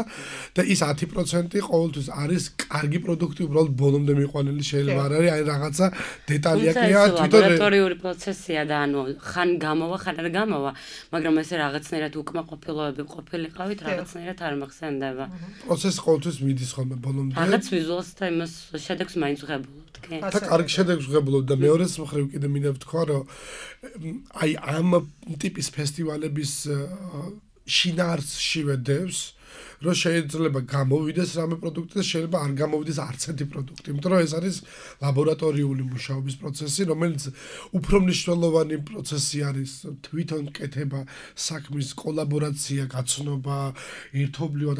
S6: და ის 10% ყოველთვის არის კარგი პროდუქტი, უბრალოდ ბოლომდე მიყვანილი შეიძლება არ არის, აი რაღაცა დეტალია ყია
S7: თვითონ ლაბორატორიული პროცესია და ანუ ხან გამოვა, ხან არ გამოვა, მაგრამ ესე რაღაცნაირად უკმაყოფილოები ყოფილიყავით, რაღაცნაირად არ მახსენდება.
S6: პროცესი ყოველთვის მიდის ხოლმე ბოლომდე.
S7: რაღაც ვიზუალს და იმას შედეგს მაინც ღებულობთ, კი?
S6: და კარგი შედეგს ღებულობთ და მეორეს მხრივ კიდე მინდა ვთქვა, რომ აი ამ ტიპის ფესტივალების შინაარსში ვედევს, რომ შეიძლება გამოვიდეს რამე პროდუქტი და შეიძლება არ გამოვიდეს არც ერთი პროდუქტი, იმიტომ რომ ეს არის ლაბორატორიული მუშაობის პროცესი, რომელიც უფრო მნიშვნელოვანი პროცესი არის თვითონ კეთება, საქმის კოლაბორაცია, გაცნობა, ერთობლივად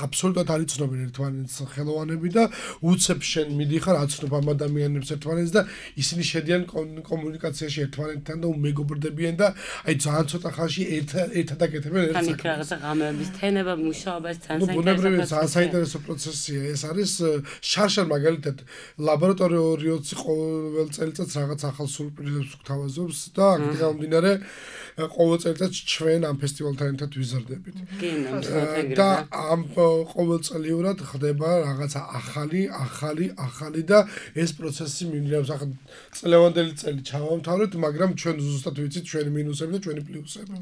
S6: აბსოლუტურად არ იცნობენ ერთმანეთს ხელოვანები და უცებ შენ მიდიხარ აცნობ ამ ადამიანებს ერთმანეთს და ისინი შედიან კომუნიკაციაში ერთმანეთთან და უმეგობრდებიან და აი ძალიან ცოტა ხანში ერთად აკეთებენ ერთ
S7: საქმეს. ანუ რაღაცა ღამეების თენება, მუშაობა
S6: ბუნებრივია საინტერესო პროცესია ეს არის შარშან მაგალითად ლაბორატორიოც ყოველ წელიწადს რაღაც ახალ სურპრიზებს გვთავაზობს და აქ გამომდინარე ყოველ წელიწადს ჩვენ ამ ფესტივალთან ერთად ვიზრდებით და ამ ყოველწლიურად ხდება რაღაცა ახალი და ეს პროცესი მიმდინარეობს ახლა წლევანდელი წელი ჩავამთავრეთ, მაგრამ ჩვენ ზუსტად ვიცით ჩვენი მინუსები და ჩვენი პლუსები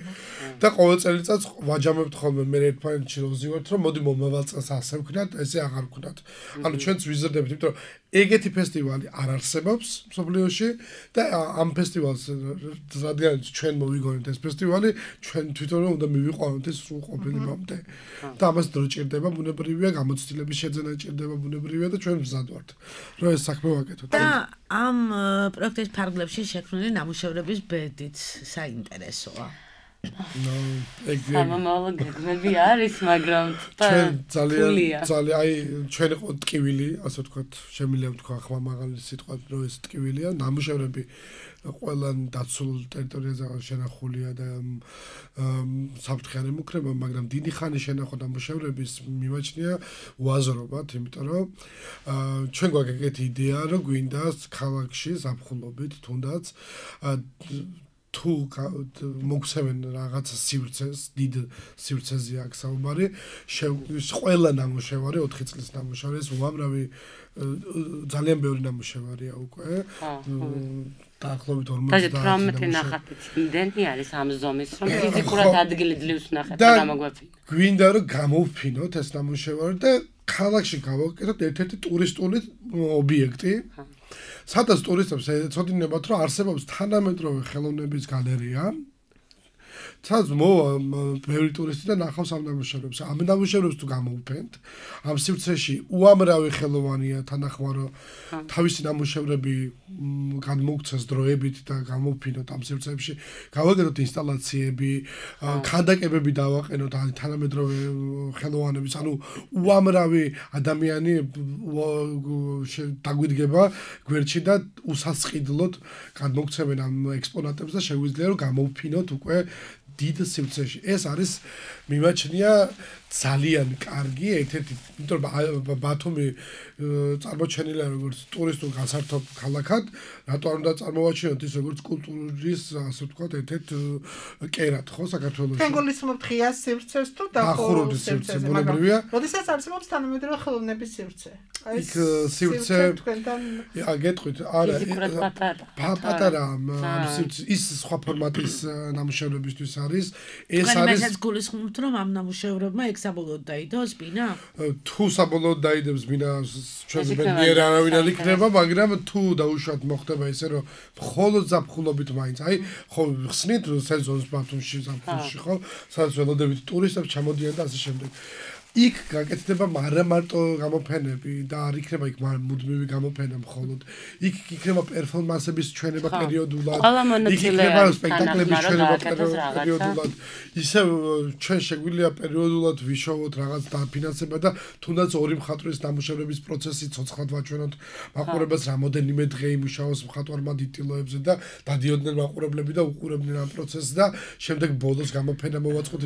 S6: და ყოველ წელიწადს ვაჯამებთ ხოლმე მე ერთმანეთში ვზივართ რომ მოდი მომავალ წელს ასე ვქნათ, ესე აღარ ვქნათ. ანუ ჩვენც ვიზრდებით, იმიტომ რომ ეგეთი ფესტივალი არ არსებობს მსოფლიოში და ამ ფესტივალს რადგან ჩვენ მოვიგონეთ ეს ფესტივალი, ჩვენ თვითონ უნდა მივიყვანოთ ეს სულ ყოფილებამდე. და ამას დრო ჭირდება, ბუნებრივია, გამოცდილების შეძენა ჭირდება, ბუნებრივია და ჩვენ მზად ვართ, რომ ეს საქმე ვაკეთოთ.
S4: და ამ პროექტის ფარგლებში შექმნილი ნამუშევრების ბედიც საინტერესოა.
S7: სამომავლო გეგმები არის, მაგრამ
S6: ძალიან აი ჩვენ იყო ტკივილი, ასე ვთქვათ, შემიძლია ვთქვა ახლა მაღალი სიტყვა, რომ ეს ტკივილია, ნამუშევრები ყველა დაცულ ტერიტორიაზე შენახულია და საფრთხე არ ემუქრება, მაგრამ დიდი ხანი შენახვა ნამუშევრების მიმაჩნია უაზრობად, იმიტომ რომ ჩვენ გვაქვს ეგეთი იდეა, რომ გვინდა ქალაქში ზაფხულობით თუნდაც თუ მოგცემენ რაღაცა სივრცეს, დიდ სივრცეზე აქ საუბარი, ყველა ნამუშევარი 4 წლის ნამუშევარი, ეს უამრავი ძალიან ბევრი ნამუშევარია უკვე. დაახლოებით 50
S7: და 18 ნახატი იმდენი არის ამ ზომის, რომ ფიზიკურად ადგილი ძლივს ნახეთ და გამოგვაფინო.
S6: გვინდა რომ გამოვფინოთ ეს ნამუშევარი და ქალაქში გავაკეთოთ ერთ-ერთი ტურისტული ობიექტი. სადაც ტურისტებს ეცოდინებათ, რომ არსებობს თანამედროვე ხელოვნების გალერეა. სადაც მოვა ბევრი ტურისტი და ნახავს ამ ნამუშევრებს. ამ ნამუშევრებს თუ გამოვფენთ, ამ სივრცეში უამრავი ხელოვანია თანახმარო თავისი ნამუშევრები გადმოგცეს დროებით და გამოვფინოთ ამ სივრცეებში, გავაკეთოთ ინსტალაციები, ქანდაკებები დავაყენოთ თანამედროვე ხელოვანების, ანუ უამრავი ადამიანი დაგვიდგება გვერდში და უსასყიდლოდ გადმოგცემენ ამ ექსპონატებს და შეგვიძლია რომ გამოვფინოთ უკვე დიდ სივრცეში. ეს არის მიმაჩნია ძალიან კარგი ერთ-ერთი, იმიტომ რომ ბათუმი წარმოჩენილია როგორც ტურისტულ გასართობ ქალაქად, რატო არ უნდა წარმოვაჩინოთ ის როგორც კულტურის, ასე ვთქვათ, ერთ-ერთ კერად, ხო, საქართველოში.
S5: თქვენ გულისხმობთ ღიას სივრცეს თუ დახურულ სივრცეს,
S6: ბუნებრივია.
S5: როდესაც არსებობს თანამედროვე ხელოვნების სივრცე.
S6: იქ სივრცე გეტყვით, არა, პატარა ის სხვა ფორმატის ნამუშევრებისთვის არის.
S4: ეს არის მეც გულისხმობთ, რომ ამ ნამუშევრებმა ეგ საბოლოოდ დაიდოს ბინა?
S6: თუ საბოლოოდ დაიდებს ბინა, ჩვენს ბედნიერ არავინ არ იქნება, მაგრამ თუ დაუშვათ მოხდება ისე, რომ მხოლოდ ზაფხულობით მაინც, აი, ხო ხსნით სეზონს ბათუმში ზაფხულში, ხო, სადაც ველოდებით ტურისტებს ჩამოდიან და ასე შემდეგ. იქ გაკეთდება არა მარტო გამოფენები და არ იქნება იქ მუდმივი გამოფენა მხოლოდ. იქ იქნება პერფორმანსების ჩვენება პერიოდულად. იქ იქნება სპექტაკლების ჩვენება პერიოდულად. ისე ჩვენ შეგვიძლია პერიოდულად ვიშოვოთ რაღაც დაფინანსება და თუნდაც ორი მხატვრის ნამუშევრების პროცესი ცოცხლად ვაჩვენოთ მაყურებელს რამოდენიმე დღე იმუშაოს მხატვარმა დიტილოებზე და დადიოდნენ მაყურებლები და უყურებდნენ ამ პროცესს და შემდეგ ბოლოს გამოფენა მოვაწყოთ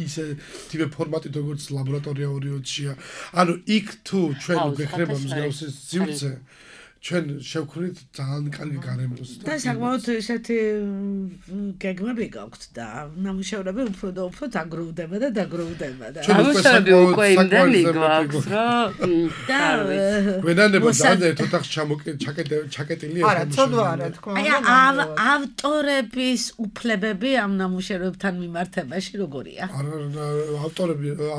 S6: ისე თივე ფორმატით როგორც ლაბორატორია ორიოდშია. ანუ იქ თუ ჩვენ გვექნება მსგავსი სივრცე, ჩვენ შევქმნით ძალიან კარგი გარემოს.
S4: და საკმაოდ ესეთი გეგმები გაქვთ და ნამუშევრები უფრო და უფრო დაგროვდება და დაგროვდება და
S7: ნამუშევრები უკვე იმდენი გვაქვს, რომ
S4: და
S6: გვენანება ძალიან ერთ ოთახში ჩაკეტილია.
S5: არა, ცოდვა არა თქმა უნდა.
S4: აი ავტორების უფლებები ამ ნამუშევრებთან მიმართებაში როგორია?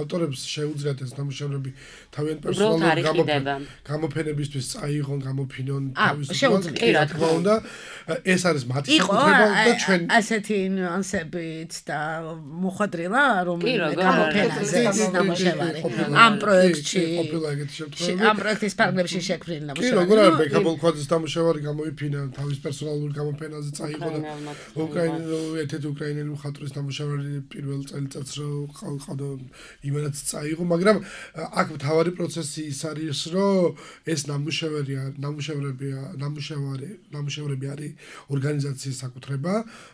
S6: ავტორებს შეუძლიათ ეს ნამუშევრები თავიანთ პერსონალურ გამოფენებისთვის წაიღონ, გამოფინონ
S4: შეუძლია
S6: თქმა უნდა. ეს არის მათი საკუთრება და ჩვენ
S4: ასეთი ნიუანსებით და მოხდრილა რომ გამოფენაზე ნამუშევარი ამ პროექტში ამ პროექტის პარალელში შექმნილი ნამუშევარი.
S6: კი, როგორ არის ბეკაბოლქვაძის ნამუშევარი გამოიფინა თავის პერსონალურ გამოფენაზე წაიღო და ერთ-ერთი უკრაინელი მხატვრის ნამუშევარი პირველ წელიწადს რო ყავდა იმენაც წაიღო, მაგრამ აქ მთავარი პროცესი ის არის, რომ ეს ნამუშევრები არის ორგანიზაციის საკუთრება,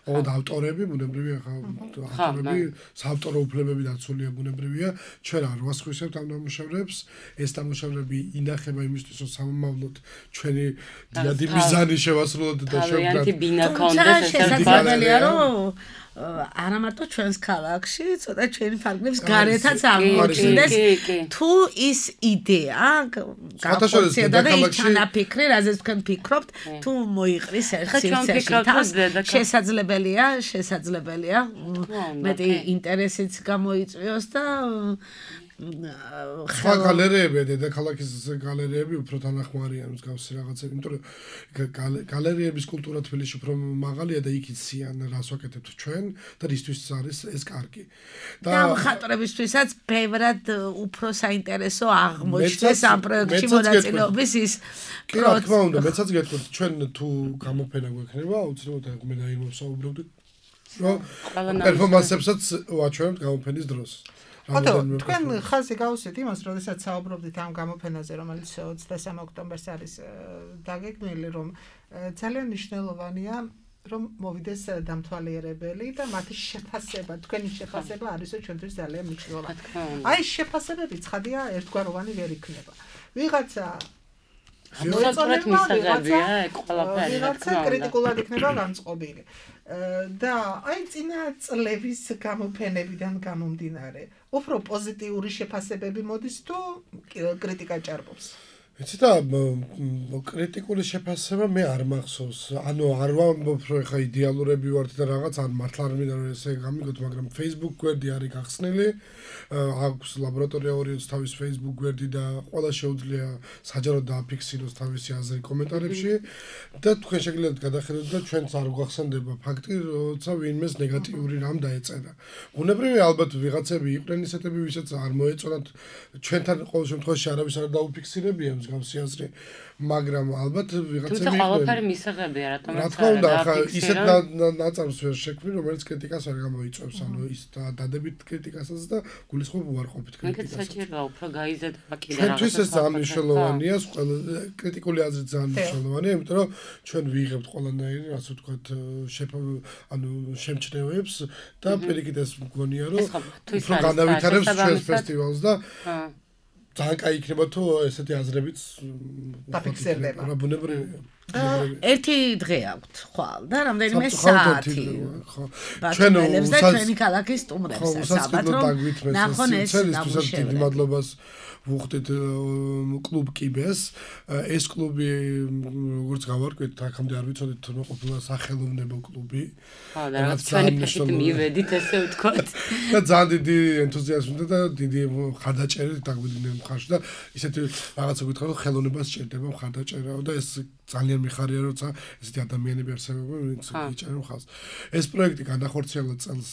S6: ოღონდ ავტორები, ბუნებრივია, ავტორები, საავტორო უფლებები დაცულია, ბუნებრივია, ჩვენ არ ვასხვისებთ ამ ნამუშევრებს, ეს ნამუშევრები ინახება იმისთვის, რომ სამომავლოდ ჩვენი დიდი მიზანი შევასრულოთ და
S7: შევქმნათ. ბინა კონდეს
S4: შესაძლებელია, რომ არა მარტო ჩვენს ქალაქში, ცოტა ჩვენი ფარგლებს გარეთაც აღმოჩნდეს თუ ის იდეა გახსოვდა და ის თანაფიქრი, რაზეც თქვენ ფიქრობთ, თუ მოიყრის ერთ სივრცეში თავს, შესაძლებელია, მეტი ინტერესიც გამოიწვიოს და
S6: სხვა გალერეები, დედაქალაქის გალერეები უფრო თანახმარია მსგავსი რაღაცები, იმიტომ რომ გალერეების კულტურა თბილისში უფრო მაღალია და იქ იციან რას ვაკეთებთ ჩვენ და რისთვის არის ეს კარგი.
S4: და მხატვრებისთვისაც ბევრად უფრო საინტერესო აღმოჩნდეს ამ პროექტში მონაწილეობის ის
S6: კი, რა თქმა უნდა, მეცაც გეტყვით, ჩვენ თუ გამოფენა გვექნება, აუცილებლად მე და იმ ვსაუბრობდით რომ პერფორმანსებსაც ვაჩვენებთ გამოფენის დროს.
S5: ხოთო, თქვენ ხაზი გავუსვით იმას, როდესაც საუბრობდით ამ გამოფენაზე, რომელიც 23 ოქტომბერს არის დაგეგმილი, რომ ძალიან მნიშვნელოვანია რომ მოვიდეს დამთვალიერებელი და მათი შეფასება, თქვენი შეფასება არისო ჩვენთვის ძალიან მნიშვნელოვანი. აი შეფასებები ცხადია ერთგვაროვანი ვერ იქნება. ვიღაცა
S7: მოწონეთ მისაღებია ყველაფერი,
S5: ვიღაცა კრიტიკულად იქნება განწყობილი. და აი წინა წლების გამოფენებიდან გამომდინარე, უფრო პოზიტიური შეფასებები მოდის თუ კრიტიკა ჭარბობს?
S6: იცით რა, კრიტიკული შეფასება მე არ მახსოვს. ანუ არ ვამბობ, რომ ეხა იდეალურები ვართ და რაღაც ან მართლა არ მინდა რომ ესე გამიგოთ, მაგრამ Facebook გვერდი არის გახსნილი. აქვს ლაბორატორია ორიოც თავის Facebook გვერდი და ყველა შეუძლია საჯაროდ დააფიქსიროს თავისი აზრი კომენტარებში და თქვენ შეგიძლიათ გადახედოთ და ჩვენც არ გვახსენდება ფაქტი, როცა ვინმეს ნეგატიური რამ დაეწერა. ბუნებრივია ალბათ ვიღაცები იყვნენ ისეთები, ვისაც არ მოეწონათ ჩვენთან ყოველ შემთხვევაში არავის არ დაუფიქსირებია მსგავსი აზრი, მაგრამ ალბათ ვიღაცები
S7: თუმცა ყველაფერი მისაღებია, რატომაც
S6: რა თქმა უნდა, ახლა ისეთ ნაწარმს ვერ შექმნი, რომელიც კრიტიკას არ გამოიწვევს, ანუ ის დადებით კრიტიკასაც და გულისხმობ უარყოფით კრიტიკასაც.
S7: საჭიროა უფრო გაიზარდა კიდე
S6: რაღაცა. ჩვენთვის ეს ძალიან მნიშვნელოვანია, კრიტიკული აზრით ძალიან მნიშვნელოვანია, იმიტომ რომ ჩვენ ვიღებთ ყველანაირი, ასე ვთქვათ, ანუ შემჩნევებს და პირიქით ეს მგონია, რომ უფრო განავითარებს ჩვენს ფესტივალს და ძალიან კაი იქნება თუ ესეთი აზრებიც
S5: დაფიქსირდება.
S6: რა ბუნებრივია.
S4: ერთი დღე აქვთ ხვალ და რამდენიმე საათი. ჩვენ ჩვენი ქალაქის სტუმრებს საბათ რომ ნახონ ეს
S6: დიდი მადლობას ვუხდით კლუბ კიბეს. ეს კლუბი როგორც გავარკვეთ, აქამდე არ ვიცოდით რომ ყოფილა სახელოვნებო კლუბი.
S7: და რაღაც ჩვენი ფეხით მივედით ესე ვთქვათ.
S6: და ძალიან დიდი ენთუზიაზმი და დიდი ხარდაჭერით დაგვიდნენ მხარში და ისეთი რაღაცა გითხრა რომ ხელოვნებას სჭირდება ხარდაჭერაო და ეს ძალიან მიხარია როცა ესეთი ადამიანები არსებობენ, ვინც იჭერენ ხალხს. ეს პროექტი განახორციელა წელს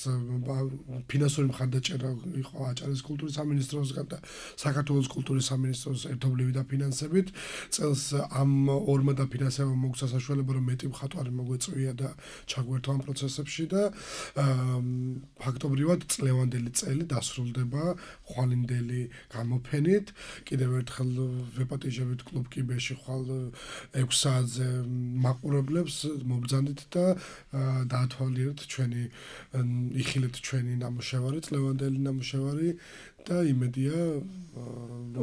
S6: ფინანსური მხარდაჭერა იყო აჭარის კულტურის სამინისტროსგან და საქართველოს კულტურის სამინისტროს ერთობლივი დაფინანსებით. წელს ამ ორმა დაფინანსებამ მოგცა საშუალება რომ მეტი მხატვარი მოგვეწვია და ჩაგვერთვა ამ პროცესებში და ფაქტობრივად წლევანდელი წელი დასრულდება ხვალინდელი გამოფენით. კიდევ ერთხელ ვეპატიჟებით კლუბ კიბეში ხვალ 6 საათზე მაყურებლებს მობრძანდით და დაათვალიერეთ ჩვენი იხილეთ ჩვენი ნამუშევარი, წლევანდელი ნამუშევარი და იმედია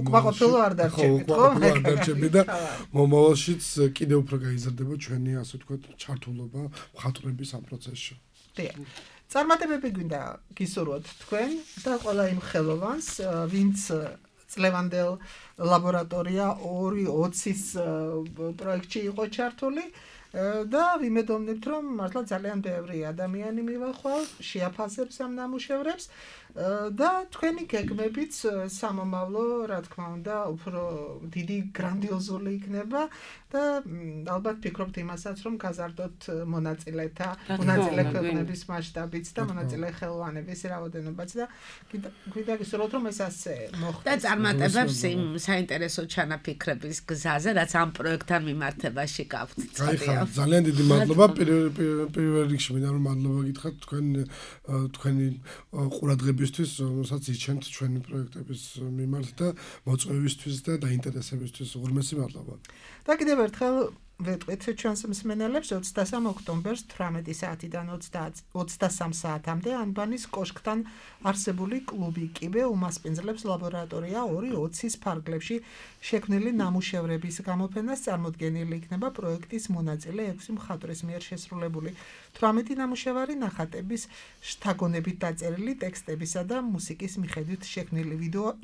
S5: უკმაყოფილო არ დარჩებით, ხო?
S6: არ დარჩებით და მომავალშიც კიდევ უფრო გაიზარდება ჩვენი, ასე ვთქვათ, ჩართულობა მხატვრების ამ პროცესში.
S5: დიახ. წარმატებები გვინდა გისურვოთ თქვენ და ყველა იმ ხელოვანს, ვინც წლევანდელ ლაბორატორია 2.20-ის პროექტში იყო ჩართული და ვიმედოვნებთ, რომ მართლა ძალიან ბევრი ადამიანი მივახვალ, შეაფასებს ამ ნამუშევრებს და თქვენი გეგმებიც სამომავლო, რა თქმა უნდა, უფრო დიდი გრანდიოზული იქნება და ალბათ ფიქრობთ იმასაც, რომ გაზარდოთ მონაწილე ქვეყნების მასშტაბიც და მონაწილე ხელოვანების რაოდენობაც და გვინდა გისურვოთ, რომ ეს ასე მოხდეს.
S4: და წარმატებებს იმ საინტერესო ჩანაფიქრების გზაზე, რაც ამ პროექტთან მიმართებაში გაქვთ.
S6: ძალიან დიდი მადლობა. პირველ რიგში მინდა რომ მადლობა გითხრათ თქვენი ყურადღებისთვის, რომელსაც იჩენთ ჩვენი პროექტების მიმართ და მოწვევისთვის და დაინტერესებისთვის. უღრმესი მადლობა.
S5: და კიდევ ერთხელ ვეტყვით ჩვენს მსმენელებს 23 ოქტომბერს 18 საათიდან 23 საათამდე ანბანის კოშკთან არსებული კლუბი კიბე უმასპინძლებს ლაბორატორია 2.20-ის ფარგლებში შექმნილი ნამუშევრების გამოფენას. წარმოდგენილი იქნება პროექტის მონაწილე 6 მხატვრის მიერ შესრულებული 18 ნამუშევარი, ნახატების შთაგონებით დაწერილი ტექსტებისა და მუსიკის მიხედვით შექმნილი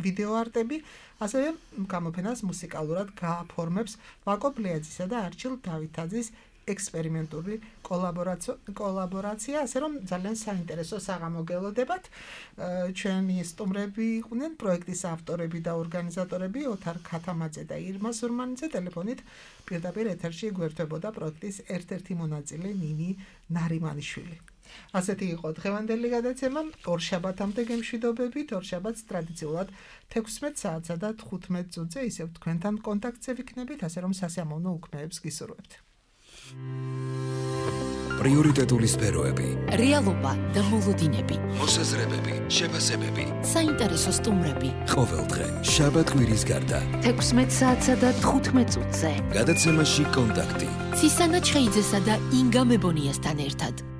S5: ვიდეოარტები. ასევე გამოფენას მუსიკალურად გააფორმებს ვაკო ბლიაძისა და არჩილ დავითაძის ექსპერიმენტული კოლაბორაცია, ასე რომ ძალიან საინტერესო საღამო გელოდებათ. ჩვენი სტუმრები იყვნენ პროექტის ავტორები და ორგანიზატორები ოთარ ქათამაძე და ირმა სურმანიძე. ტელეფონით პირდაპირ ეთერში გვერდებოდა პროექტის ერთ-ერთი მონაწილე ნინი ნარიმანიშვილი. ასეთი იყო დღევანდელი გადაცემა. ორშაბათამდე გემშვიდობებით. ორშაბათს ტრადიციულად 16 საათსა და 15 წუთზე ისევ თქვენთან კონტაქტზე ვიქნებით, ასე რომ სასიამოვნო უქმეებს გისურვებთ.
S1: პრიორიტეტული სფეროები,
S2: რეალობა და მოლოდინები,
S1: მოსაზრებები, შეფასებები,
S2: საინტერესო სტუმრები.
S1: ყოველდღე, შაბათ-კვირის გარდა.
S3: 16 საათსა და 15 წუთზე.
S1: გადაცემაში კონტაქტი.
S2: ცისანა ჩხეიძესა და ინგა მებონიასთან ერთად.